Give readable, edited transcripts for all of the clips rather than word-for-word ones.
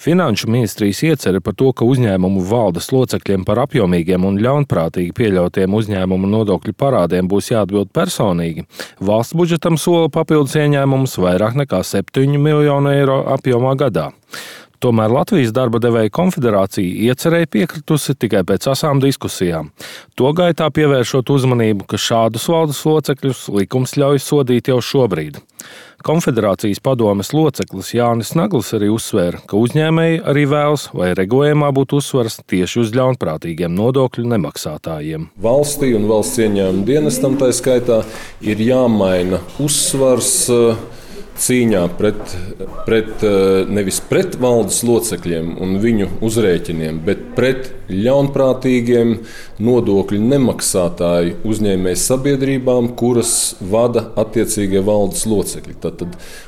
Finanšu ministrijas iecer par to, ka uzņēmumu valdes locekļiem par apjomīgiem un ļaunprātīgi pieļautiem uzņēmumu nodokļu parādiem būs jāatbild personīgi. Valsts budžetam sola papildus ieņēmumus vairāk nekā 7 miljonu eiro apjomā gadā. Tomēr Latvijas darba devēju konfederācija iecerēja piekritusi tikai pēc asām diskusijām. To gaitā pievēršot uzmanību, ka šādus valdes locekļus likums ļauj sodīt jau šobrīd. Konfederācijas padomes loceklis Jānis Naglis arī uzsvēra, ka uzņēmēji arī vēlas, lai regulējumā būtu uzsvars tieši uz ļaunprātīgiem nodokļu nemaksātājiem. Valstī un valsts ieņēmuma dienestam tā skaitā ir jāmaina uzsvars cīņā nevis pret valdes locekļiem un viņu uzrēķiniem, bet pret ļaunprātīgiem nodokļu nemaksātāju uzņēmēju sabiedrībām, kuras vada attiecīgie valdes locekļi. Tad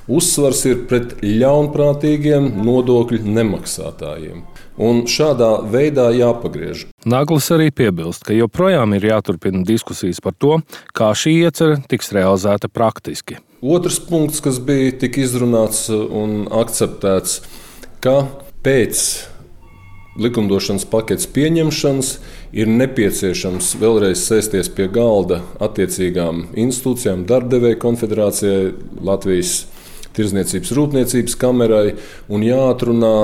uzsvars ir pret ļaunprātīgiem nodokļu nemaksātājiem. Un šādā veidā jāpagriež. Naglis arī piebilst, ka joprojām ir jāturpina diskusijas par to, kā šī iecerē tiks realizēta praktiski. Otrs punkts, kas bija tik izrunāts un akceptēts, ka pēc likumdošanas paketes pieņemšanas ir nepieciešams vēlreiz sēsties pie galda attiecīgām institūcijām, darbdevēju konfederācijai, Latvijas Tirdzniecības rūpniecības kamerai un jāatrunā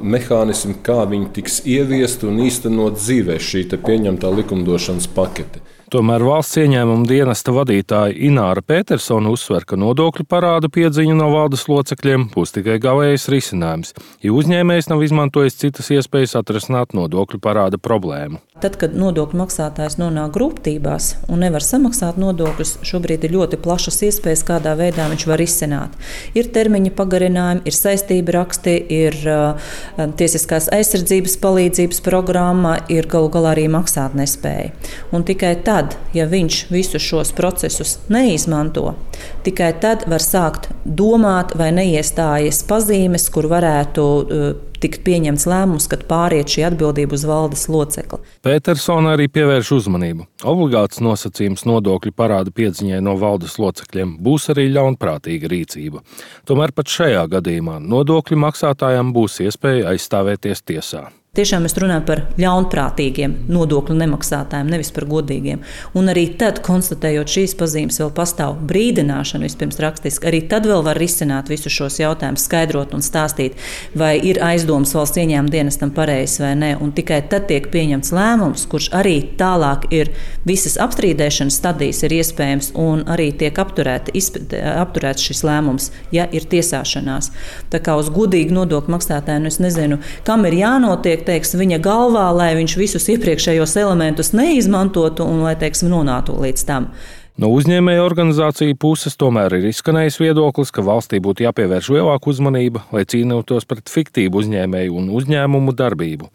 mehānismi, kā viņi tiks ieviesti un īstenot dzīvē šī pieņemtā likumdošanas pakete. Tomēr valsts ieņēmuma dienesta vadītāja Ināra Petersona uzsver, ka nodokļu parādu piedziņa no valdes locekļiem būs tikai galējais risinājums, jo uzņēmējs nav izmantojis citas iespējas atrisināt nodokļu parāda problēmu. Tad, kad nodokļu maksātājs nonāk grūtībās un nevar samaksāt nodokļus, šobrīd ir ļoti plašas iespējas, kādā veidā viņš var izsināt. Ir termiņa pagarinājumi, ir saistība raksti, ir tiesiskās aizsardzības palīdzības programma, ir galu galā arī maksātnespēja. Un tikai tad, ja viņš visus šos procesus neizmanto, tikai tad var sākt domāt, vai neiestājas pazīmes, kur varētu tikt pieņemts lēmums, kad pāriet šī atbildība uz valdes locekli. Petersona arī pievērš uzmanību. Obligāts nosacījums nodokļu parāda piedziņai no valdes locekļiem būs arī ļaunprātīga rīcība. Tomēr pat šajā gadījumā nodokļu maksātājiem būs iespēja aizstāvēties tiesā. Tiešām mēs runājam par ļaunprātīgiem nodokļu nemaksātājiem, nevis par godīgiem. Un arī tad, konstatējot šīs pazīmes, vēl pastāv brīdināšana vispirms rakstiski. Arī tad vēl var risināt visus šos jautājumus, skaidrot un stāstīt, vai ir aizdomas valsts ieņēmuma dienestam pareizs vai nē. Un tikai tad tiek pieņemts lēmums, kurš arī tālāk ir visas apstrīdēšanas stadijas ir iespējams un arī tiek apturēts šis lēmums, ja ir tiesāšanās. Tā kā uz godīgu nodokļu maksātāju, es nezinu, kam ir jānotiek, viņa galvā, lai viņš visus iepriekšējos elementus neizmantotu un lai, nonātu līdz tam. No uzņēmēju organizāciju puses tomēr ir izskanējis viedoklis, ka valstī būtu jāpievērš lielāka uzmanība, lai cīnītos pret fiktīvu uzņēmēju un uzņēmumu darbību.